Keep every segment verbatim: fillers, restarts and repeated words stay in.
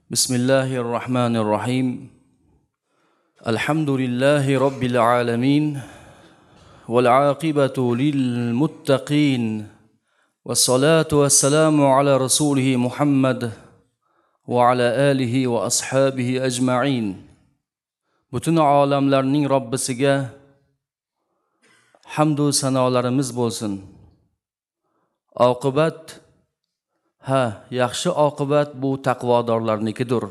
Bismillahir Rahmanir Rahim. Alhamdulillahi Robbil alamin. Val aqibatu lil muttaqin. Vassalatu vassalamu ala rasulihi Muhammad va ala alihi va ashabihi ajma'in. Butun olamlarning Robbisiga hamd va sanolarimiz bo'lsin. Oqibat, ha, yaxshi oqibat bu taqvodorlarnikidir.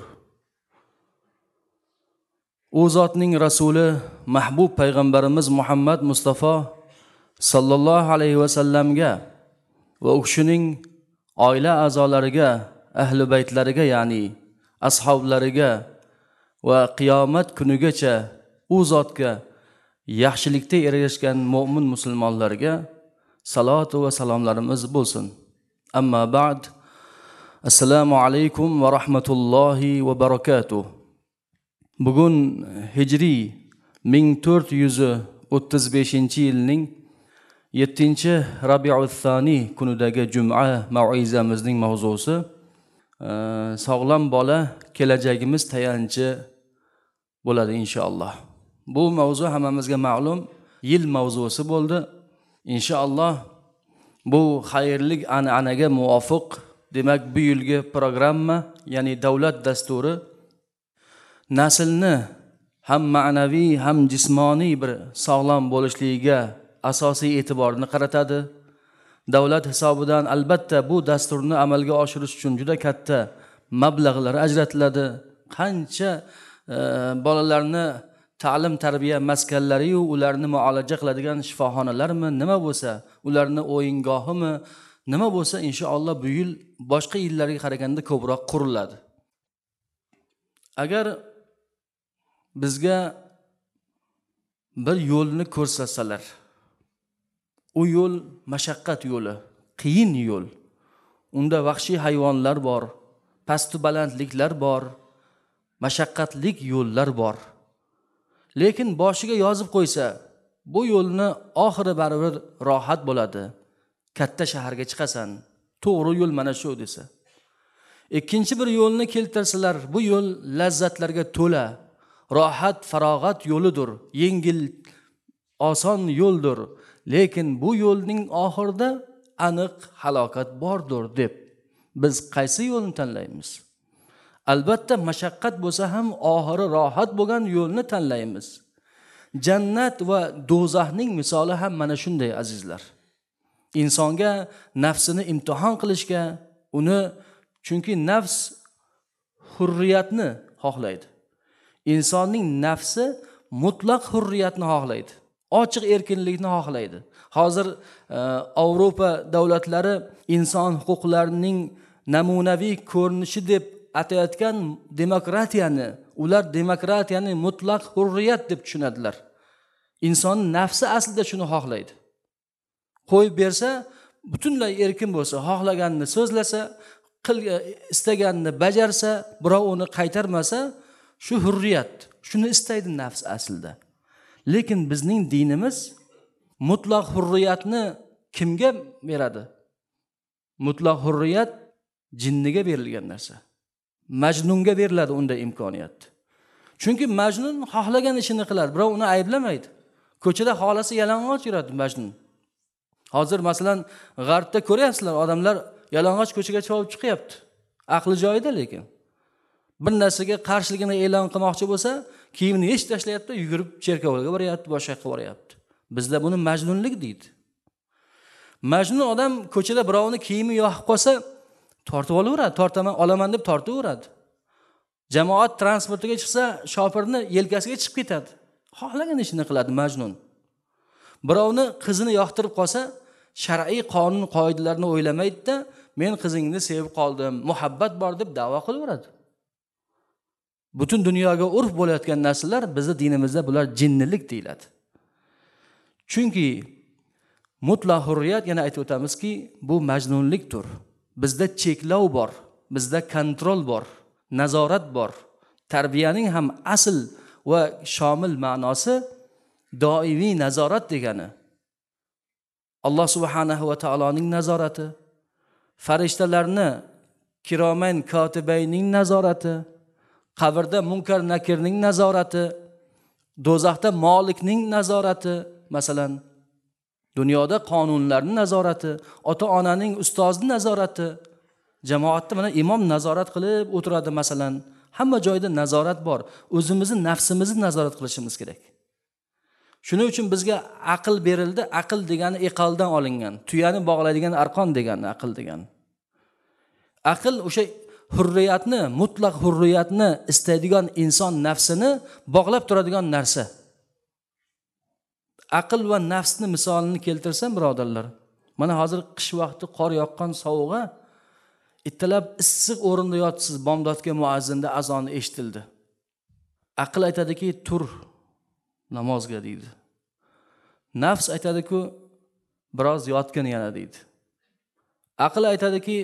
U zotning rasuli mahbub payg'ambarimiz Muhammad Mustafa sallallohu alayhi va sallamga va u kishining oila a'zolariga, ahli baytlariga, ya'ni ashablariga va qiyomat kunigacha u zotga yaxshilikda ergashgan mo'min musulmonlarga salatu va salomlarimiz bo'lsin. Amma ba'd. Assalomu alaykum va rahmatullohi va barakatuh. Bugun hijriy ming to'rt yuz o'ttiz beshinchi yilning yettinchi Rabiul Soniy kunidagi juma mau'izamizning mavzusi sog'lom bola kelajagimiz tayanchi bo'ladi inshaalloh. Bu mavzu hammamizga ma'lum, yil mavzusi bo'ldi. Inshaalloh bu xayrli an'anaga muvofiq, demak bu yilgi programma, ya'ni davlat dasturi naslni ham ma'naviy ham jismoniy bir sog'lom bo'lishligiga asosiy e'tiborni qaratadi. Davlat hisobidan albatta bu dasturni amalga oshirish uchun juda katta mablag'lar ajratiladi. Qancha e, bolalarni ta'lim tarbiya maskanlari-yu ularni muolaja qiladigan shifoxonalarmi, nima bo'lsa, ularni o'yingohimi, nima bo'lsa inshaalloh bu yil boshqa yillarga qaraganda ko'proq quriladi. Agar bizga bir yo'lni ko'rsatsalar, u yo'l mashaqqat yo'li, qiyin yo'l. Unda vahshiy hayvonlar bor, pastu balandliklar bor, mashaqqatlik yo'llar bor. Lekin boshiga yozib qo'ysa, bu yo'lni oxiri baribir rohat bo'ladi. Katta shaharga chiqasan, to'g'ri yo'l mana shu desa. Ikkinchi bir yo'lni keltirsalar, bu yo'l lazzatlarga to'la, rohat, farog'at yo'lidir, yengil, oson yo'ldir. Lekin bu yo'lning oxirida aniq halokat bordir deb biz qaysi yo'lni tanlaymiz? Albatta mashaqqat bo'lsa ham oxiri rohat bo'lgan yo'lni tanlaymiz. Jannat va do'zaxning misoli ham mana shunday azizlar. Insonga nafsini imtihon qilishga, uni, chunki nafs hurriyatni xohlaydi. Insonning nafsi mutlaq hurriyatni xohlaydi. Ochiq erkinlikni xohlaydi. Hozir e, Yevropa davlatlari inson huquqlarining namunaviy ko'rinishi deb atayotgan demokratiyani, ular demokratiyani mutlaq hurriyat deb tushunadilar. Inson nafsi aslida shuni xohlaydi. Qo'yib bersa, butunlay erkin bo'lsa, xohlaganini so'zlasa, qil istaganini bajarsa, birov uni qaytarmasa, shu hurriyat, shuni istaydi nafs aslida. Lekin bizning dinimiz mutlaq hurriyatni kimga beradi? Mutlaq hurriyat jinniga berilgan narsa. Majnunga beriladi unda imkoniyat. Chunki Majnun xohlagan ishini qiladi, birov uni ayblamaydi. Ko'chada xolasi yalang'och yuradi Majnun. Hozir masalan g'arbda ko'ryapsizlar, odamlar yalang'och ko'chaga chovib chiqyapti. Aqli joyida lekin. Bir narsaga qarshiligini e'lon qilmoqchi bo'lsa, kiyimini yechib tashlayapti, yugurib cherkovga boryapti, boshqa yoqqa boryapti. Bizda buni majnunlik deydi. Majnun odam ko'chada birovni kiyimi yoqib qolsa, tortib olaveradi, tortaman, olaman deb tortaveradi. Jamoat transportiga chiqsa, shofirni yelkasiga chiqib ketadi. Xohlagan ishini qiladi majnun. Birovni qizini yoqtirib qolsa, shar'iy qonun qoidalarni o'ylamaydi-da, men qizingni sevib qoldim, muhabbat bor deb da'vo qilaveradi. Butun dunyoga urf bo'layotgan narsalar bizning dinimizda bular jinnilik deyiladi. Chunki mutlaq hurriyat, yana aytib o'tamizki, bu majnunlikdir. Bizda cheklov bor, bizda kontrol bor, nazorat bor. Tarbiyaning ham asl va shomil ma'nosi doimiy nazorat degani. Alloh subhanahu va taoloning nazorati, farishtalarni kiroman kotibayning nazorati, qabrda munkar nakirning nazorati, do'zaxda molikning nazorati, masalan, dunyoda qonunlarning nazorati, ota-onaning, ustozning nazorati, jamoatda mana imom nazorat qilib o'tiradi masalan. Hamma joyda nazorat bor. O'zimizni nafsimizni nazorat qilishimiz kerak. Shuning uchun bizga aql berildi. Aql degani iqaldan olingan, tuyani bog'laydigan arqon degani aql degani. Aql o'sha hurriyatni, mutlaq hurriyatni istaydigan inson nafsini bog'lab turadigan narsa. Aql va nafsni misolini keltirsam birodarlar, mana hozir qish vaqti qor yoqqan sovug'a ittalab issiq o'rinda yotsiz, bomdodga muazzinda azoni eshitildi. Aql aytadiki, tur namozga deydi. Nafs aytadiku, biroz yotgin yana deydi. Aql aytadiki,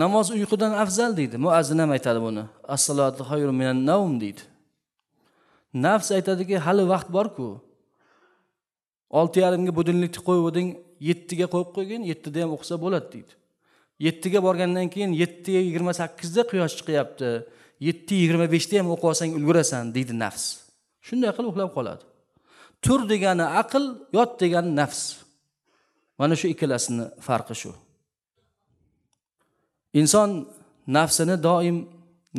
namoz uyqudan afzal deydi. Muazzin ham aytadi buni. As-salatu xayrun minan nawm deydi. Nafs aytadiki, hali vaqt bor-ku. Olti yarimga budilnikni qo'yib eding, yettiga qo'yib qo'ygin, yettida ham o'qisa bo'ladi deydi. Yettiga borgandan keyin yetti yigirma sakkizda quyosh chiqyapti. Yetti yigirma beshda ham o'qib olsang ulgurasan deydi nafs. Shunday qilib uxlab qoladi. Tur degani aql, yot degani nafs. Mana shu ikkalasini farqi shu. Inson nafsini doim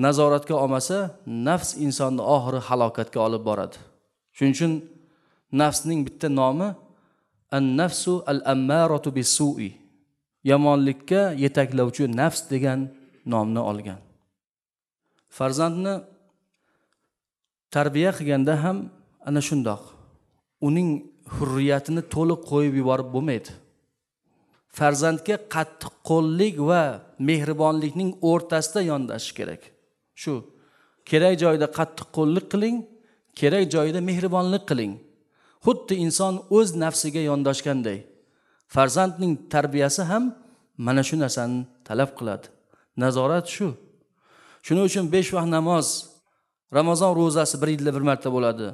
nazoratga olmasa, nafs insonni oxiri halokatga olib boradi. Shuning uchun nafsning bitta nomi an-nafsu al-ammaratu bis-su'i. Yomonlikka yetaklovchi nafs degan nomni olgan. Farzandni tarbiya qilganda ham ana shundoq. Uning hurriyatini to'liq qo'yib yuborib bo'lmaydi. Farzandga qattiq qo'llik va mehribonlikning o'rtasida yondashish kerak. Shu kerak joyida qattiq qo'llik qiling, kerak joyida mehribonlik qiling. Xuddi inson o'z nafsiga yondoshganday. Farzandning tarbiyasi ham mana shu narsani talab qiladi. Nazorat shu. Shuning uchun besh vaqt namoz, Ramazon ro'zasi bir yilda bir marta bo'ladi.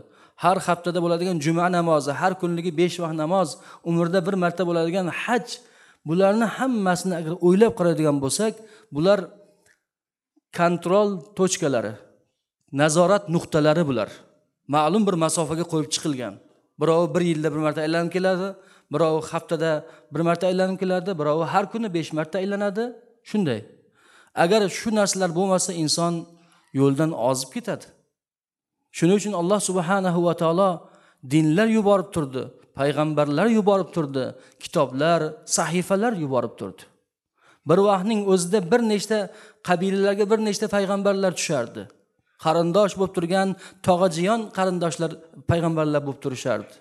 Har haftada bo'ladigan juma namozi, har kunligi besh vaqt namoz, umrda bir marta bo'ladigan haj, bularni hammasini agar o'ylab qaraydigan bo'lsak, bular kontrol tochkalari, nazorat nuqtalari bular. Ma'lum bir masofaga qo'yib chiqilgan. Birovi bir yilda bir marta aylanib keladi, birovi haftada bir marta aylanib keladi, birovi har kuni besh marta aylanadi. Shunday. Agar shu narsalar bo'lmasa inson yo'ldan ozib ketadi. Shuning uchun Alloh subhanahu va taolo dinlar yuborib turdi, payg'ambarlar yuborib turdi, kitoblar, sahifalar yuborib turdi. Bir vaqtning o'zida bir nechta qabilalarga bir nechta payg'ambarlar tushardi. Qarindosh bo'lib turgan tog'ajiyon qarindoshlar payg'ambarlar bo'lib turishardi.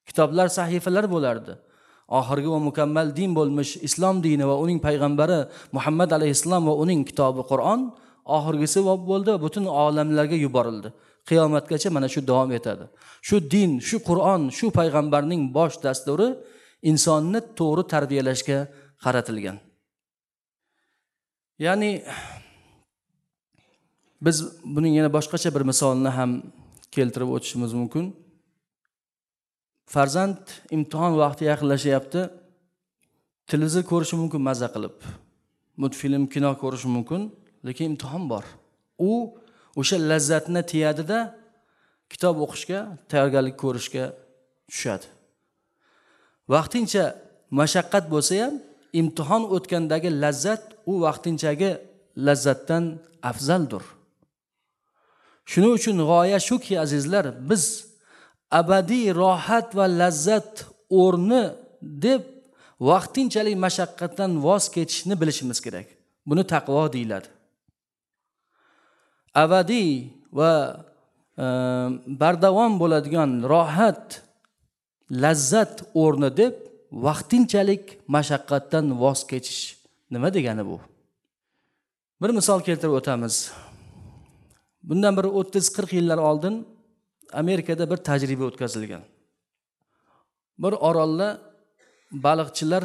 Kitoblar, sahifalar bo'lardi. Oxirgi va mukammal din bo'lmish islom dini va uning payg'ambari Muhammad alayhissalom va uning kitobi Qur'on oxirgisi bo'ldi va butun olamlarga yuborildi. Qiyomatgacha mana shu davom etadi. Shu din, shu Qur'on, shu payg'ambarning bosh dasturi insonni to'g'ri tarbiyalashga qaratilgan. Ya'ni biz buning yana boshqacha bir misolini ham keltirib o'tishimiz mumkin. Farzand imtihon vaqti yaqinlashyapti. Televizor ko'rishi mumkin maza qilib. Multfilm, kino ko'rishi mumkin, lekin imtihon bor. U o'sha lazzatni tiyadida kitob o'qishga, tayyorgarlik ko'rishga tushadi. Vaqtincha mashaqqat bo'lsa ham imtihon o'tgandagi lazzat u vaqtinchagi lazzatdan afzaldir. Shuning uchun g'oya shuki azizlar, biz abadiy rohat va lazzat o'rni deb vaqtinchalik mashaqqatdan voz kechishni bilishimiz kerak. Buni taqvo deyiladi. Abadiy va e, bardavom bo'ladigan rohat, lazzat o'rni deb vaqtinchalik mashaqqatdan voz kechish nima degani bu? Bir misol keltirib o'tamiz. Bundan bir o'ttiz qirq yillar oldin Amerikada bir tajriba o'tkazilgan. Bir orolda baliqchilar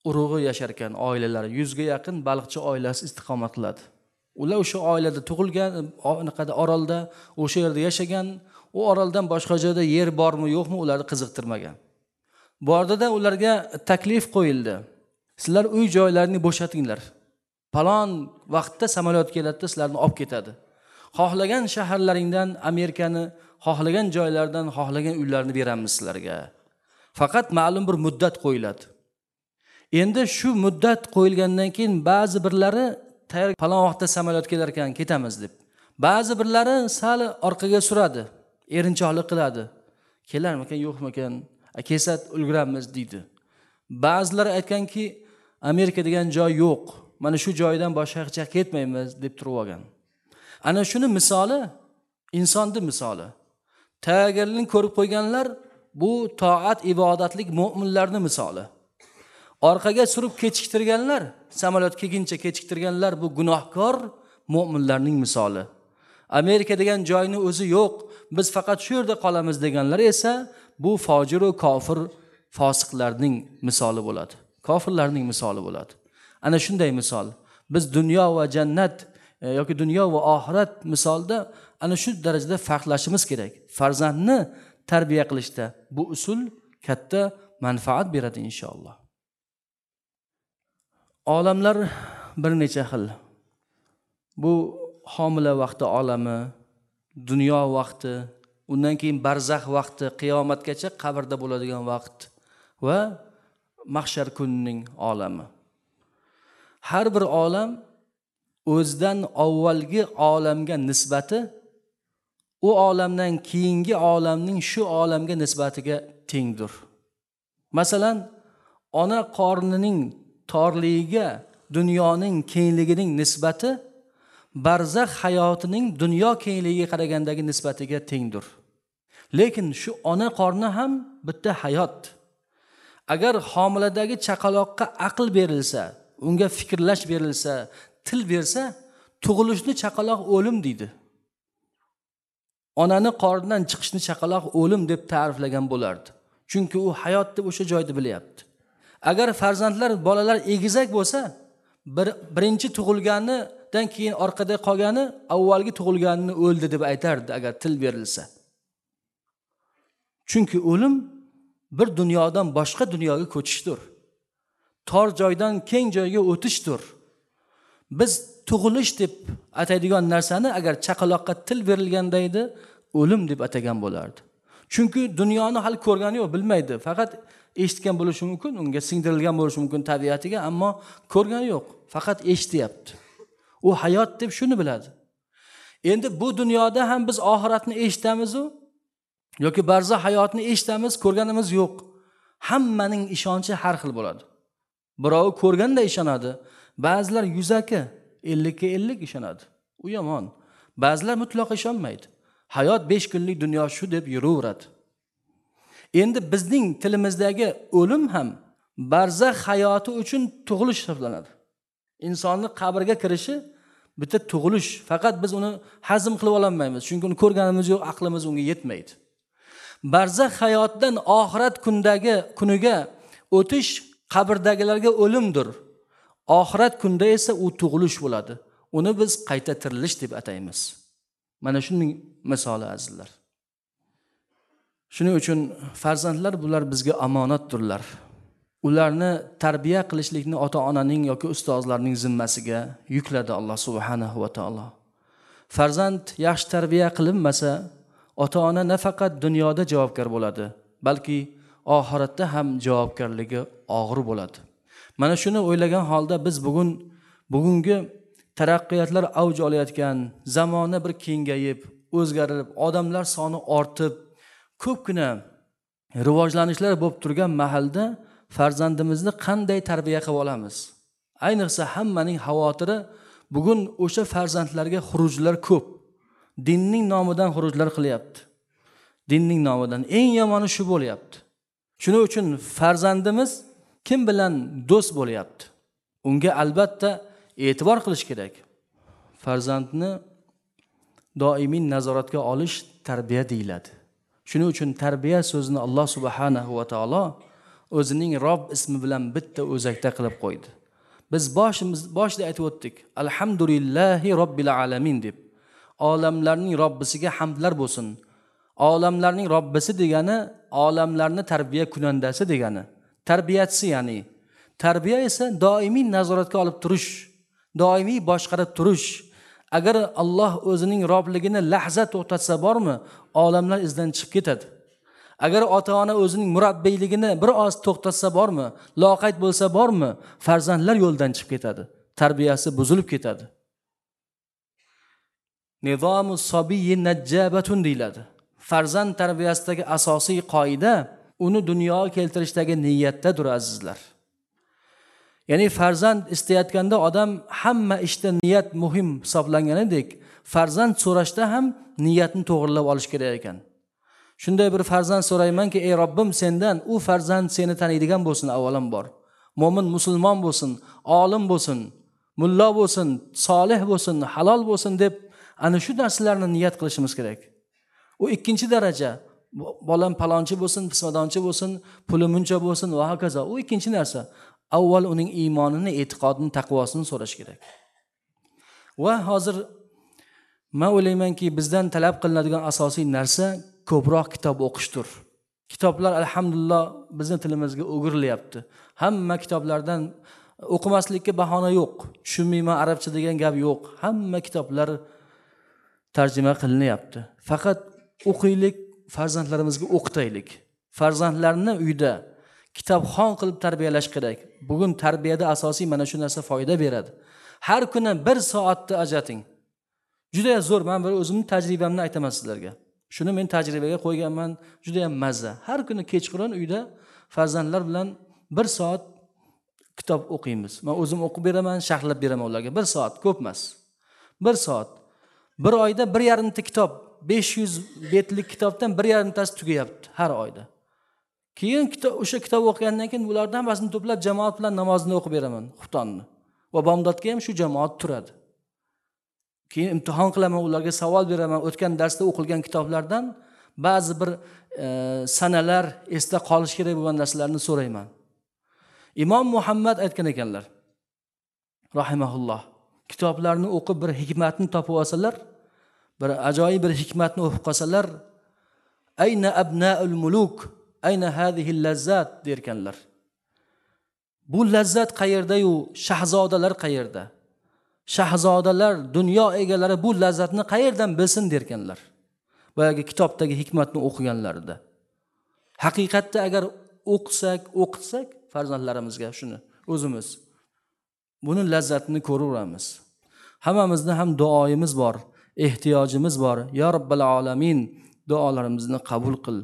urug'i yashar ekan, oilalari yuzga yaqin baliqchi oilasi istiqomat qiladi. Ular o'sha oilada tug'ilgan, anaqada orolda o'sha yerda yashagan, u oroldan boshqa joyda yer bormi yo'qmi ularni qiziqtirmagan. Bordida ularga taklif qo'yildi. Sizlar uy joylarini bo'shatinglar. Palon vaqtda samolyot keladi, sizlarni olib ketadi. Xohlagan shaharlaringdan Amerikani, xohlagan joylardan, xohlagan uylarni beramiz sizlarga. Faqat ma'lum bir muddat qo'yiladi. Endi shu muddat qo'yilgandan keyin ba'zi birlari tayyor, falon vaqtda samolyot kelar ekan, ketamiz deb. Ba'zi birlari sal orqaga suradi, erinchoqlik qiladi. Kelarmikan, yo'qmikan, kelsa ulguramiz deydi. Ba'zilar aytganki, Amerika degan joy yo'q, mana shu joydan boshqa yoqqa ketmaymiz deb turib olgan. Ana shuni misoli, insonning misoli. Tayyorgarlikni ko'rib qo'yganlar bu toat ibodatlik mo'minlarning misoli. Orqaga surib kechiktirganlar, samolyot kelguncha kechiktirganlar bu gunohkor mo'minlarning misoli. Amerika degan joyning o'zi yo'q, biz faqat shu yerda qolamiz deganlar esa bu fojir va kofir fosiqlarning misoli bo'ladi. Kofirlarning misoli bo'ladi. Ana shunday misol. Biz dunyo va jannat yoki dunyo va oxirat misolida ana shu darajada farqlashimiz kerak. Farzandni tarbiya qilishda bu usul katta manfaat beradi inshaalloh. Olamlar bir necha xil. Bu homila vaqti olami, dunyo vaqti, undan keyin barzax vaqti, qiyomatgacha qabrda bo'ladigan vaqt va mahshar kunining olami. Har bir olam o'zidan avvalgi olamga nisbati u olamdan keyingi olamning shu olamga nisbatiga tengdir. Masalan, ona qornining torligiga dunyoning kengligining nisbati barzax hayotining dunyo kengligiga qaragandagi nisbatiga tengdir. Lekin shu ona qorni ham bitta hayot. Agar homiladagi chaqaloqqa aql berilsa, unga fikrlash berilsa, til bersa, tug'ilishni chaqaloq o'lim deydi. Onani qornidan chiqishni chaqaloq o'lim deb ta'riflagan bo'lardi. Chunki u hayot deb o'sha joyda bilyapti. Agar farzandlar, bolalar egizak bo'lsa, bir, birinchi tug'ilganidan keyin orqada qolgani avvalgi tug'ilganini o'ldi deb aytardi agar til berilsa. Chunki o'lim bir dunyodan boshqa dunyoga ko'chishdir. Tor joydan keng joyga o'tishdir. Biz tug'ilish deb ataydigan narsani agar chaqaloqqa til berilganda edi, o'lim deb atagan bo'lardi. Chunki dunyoni hali ko'rgani yo'q, bilmaydi. Faqat eshitgan bo'lishi mumkin, unga singdirilgan bo'lishi mumkin tabiatiga, ammo ko'rgani yo'q, faqat eshityapti. U hayot deb shuni biladi. Endi bu dunyoda ham biz oxiratni eshitamiz-u yoki barzax hayotni eshitamiz, ko'rganimiz yo'q. Hammaning ishonchi har xil bo'ladi. Birovi ko'rganda ishonadi, ba'zilar yuzaki ellikka ellik ishonadi. U yomon. Ba'zilar mutlaq ishonmaydi. Hayot besh kunlik dunyo shu deb yuraveradi. Endi bizning tilimizdagi o'lim ham barzax hayoti uchun tug'ilish hisoblanadi. Insonni qabrga kirishi bitta tug'ilish. Faqat biz uni hazm qilib ololmaymiz, chunki uni ko'rganimiz yo'q, aqlimiz unga yetmaydi. Barzax hayotdan oxirat kundagi kuniga o'tish qabrdagilarga o'limdir. Oxirat kunda esa u tug'ilish bo'ladi. Uni biz qayta tirilish deb ataymiz. Mana shuning misoli azizlar. Shuning uchun farzandlar bular bizga omonatdirlar. Ularni tarbiya qilishlikni ota-onaning yoki ustozlarning zimmasiga yukladi Alloh subhanahu va taolo. Farzand yaxshi tarbiya qilinmasa, ota-ona nafaqat dunyoda javobgar bo'ladi, balki oxiratda ham javobgarligi og'ir bo'ladi. Mana shuni o'ylagan holda biz bugun bugungi taraqqiyotlar avj olayotgan, zamona bir kengayib, o'zgarib, odamlar soni ortib, ko'pgina rivojlanishlar bo'lib turgan mahalda farzandimizni qanday tarbiya qilib olamiz? Ayniqsa hammaning xavotiri bugun o'sha farzandlarga xurujlar ko'p. Dinning nomidan xurujlar qilyapti. Dinning nomidan eng yomoni shu bo'lyapti. Shuning uchun farzandimiz kim bilan do'st bo'lyapti? Unga albatta e'tibor qilish kerak. Farzandni doimiy nazoratga olish tarbiya deyiladi. Shuning uchun tarbiya so'zini Alloh subhanahu va taolo o'zining Robb ismi bilan bitta o'zakda qilib qo'ydi. Biz boshimiz boshida aytib o'tdik, alhamdulillahi robbil alamin deb. Olamlarning Robbisiga hamdlar bo'lsin. Olamlarning Robbisi degani olamlarni tarbiya kunandasi degani. Tarbiyachisi ya'ni. Tarbiya esa doimiy nazoratga olib turish, Doimiy boshqarib turish. Agar Alloh o'zining Robligini lahza to'xtatsa bormi, olamlar izdan chiqib ketadi. Agar ota-ona o'zining murabbiyligini bir oz to'xtatsa bormi, loqayd bo'lsa bormi, farzandlar yo'ldan chiqib ketadi, tarbiyasi buzilib ketadi. Nizomu sobiyyi najjabatun deyiladi. Farzand tarbiyasidagi asosiy qoida uni dunyoga keltirishdagi niyatdadir, azizlar. Ya'ni farzand istayotganda odam hamma ishda niyat muhim hisoblanganidek, farzand so'rashda ham niyatni to'g'rilab olish kerak ekan. Shunday bir farzand so'raymanki, ey Robbim, sendan u farzand seni taniydigan bo'lsin avvalambor. Mo'min musulmon bo'lsin, olim bo'lsin, mulla bo'lsin, solih bo'lsin, halol bo'lsin deb ana shu narsalarni niyat qilishimiz kerak. U ikkinchi daraja, bolam palonchi bo'lsin, pismadonchi bo'lsin, puli muncha bo'lsin va hokazo. U ikkinchi narsa. Avval uning iymonini, e'tiqodini, taqvosini so'rash kerak. Va hozir men o'ylaymanki, bizdan talab qilinadigan asosiy narsa ko'proq kitob o'qishdir. Kitoblar alhamdulillah bizning tilimizga o'girilyapti. Hamma kitoblardan o'qimaslikka bahona yo'q. Tushunmayman arabcha degan gap yo'q. Hamma kitoblar tarjima qilinyapti. Faqat o'qiylik, farzandlarimizga o'qitaylik. Farzandlarni uyda kitobxon qilib tarbiyalash kerak. Bugun tarbiyada asosiy mana shu narsa foyda beradi. Har kuni bir soatni ajrating. Juda zo'r, men bir o'zimning tajribamni aytaman sizlarga. Shuni men tajribaga qo'yganman, juda ham mazza. Har kuni kechqurun uyda farzandlar bilan bir soat kitob o'qiymiz. Men o'zim o'qib beraman, sharhlab beraman ularga. Bir soat, ko'p emas. Bir soat. Bir oyda bir yarimta kitob, besh yuz betlik kitobdan bir yarimtasi tugayapti har oyda. Keyin kitob, o'sha kitob o'qigandan keyin ulardan hammasini to'plab jamoat bilan namozni o'qib beraman, xuftonni. Va bomdodga ham shu jamoat turadi. Keyin imtihon qilaman, ularga savol beraman. O'tgan darsda o'qilgan kitoblardan ba'zi bir e, sanalar esda qolish kerak bo'lgan narsalarni so'rayman. Imom Muhammad aytgan ekanlar, rahimahulloh, kitoblarni o'qib bir hikmatni topib olsalar, bir ajoyib bir hikmatni o'qib qolsalar, ayna abnaul muluk, ayna hadhihi lazzat derkanlar. Bu lazzat qayerda-yu, shahzodalar qayerda? Shahzodalar, dunyo egalari bu lazzatni qayerdan bilsin derkanlar. Boyagi kitobdagi hikmatni o'qiganlarida. Haqiqatda agar o'qisak, o'qitsak farzandlarimizga shuni o'zimiz buni lazzatini ko'raveramiz. Hammamizni ham duoyimiz bor, ehtiyojimiz bor. Ya Robbil alamin, duolarimizni qabul qil.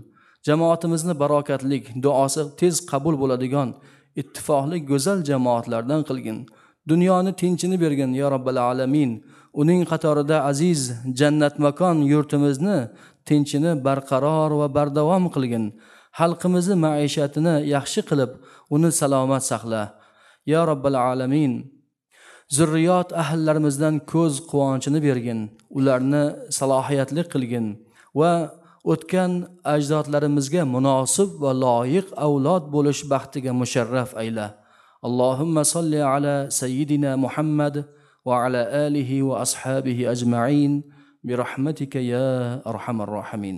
Jamoatimizni barokatlik, duosi tez qabul bo'ladigan ittifoqli go'zal jamoatlardan qilgin. Dunyoni tinchini bergin ya Robbil alamin. Uning qatorida aziz jannat makon yurtimizni tinchini barqaror va bardavom qilgin. Xalqimizni maishatini yaxshi qilib, uni salomat saqla. Ya Robbil alamin. Zurriyot ahllarimizdan ko'z quvonchini bergin, ularni salohiyatli qilgin va o'tgan ajdodlarimizga munosib va loyiq avlod bo'lish baxtiga musharraf ayla. Allohumma solli ala sayyidina Muhammad va ala alihi va ashabihi ajma'in bi rahmatika ya arhamar rohimin.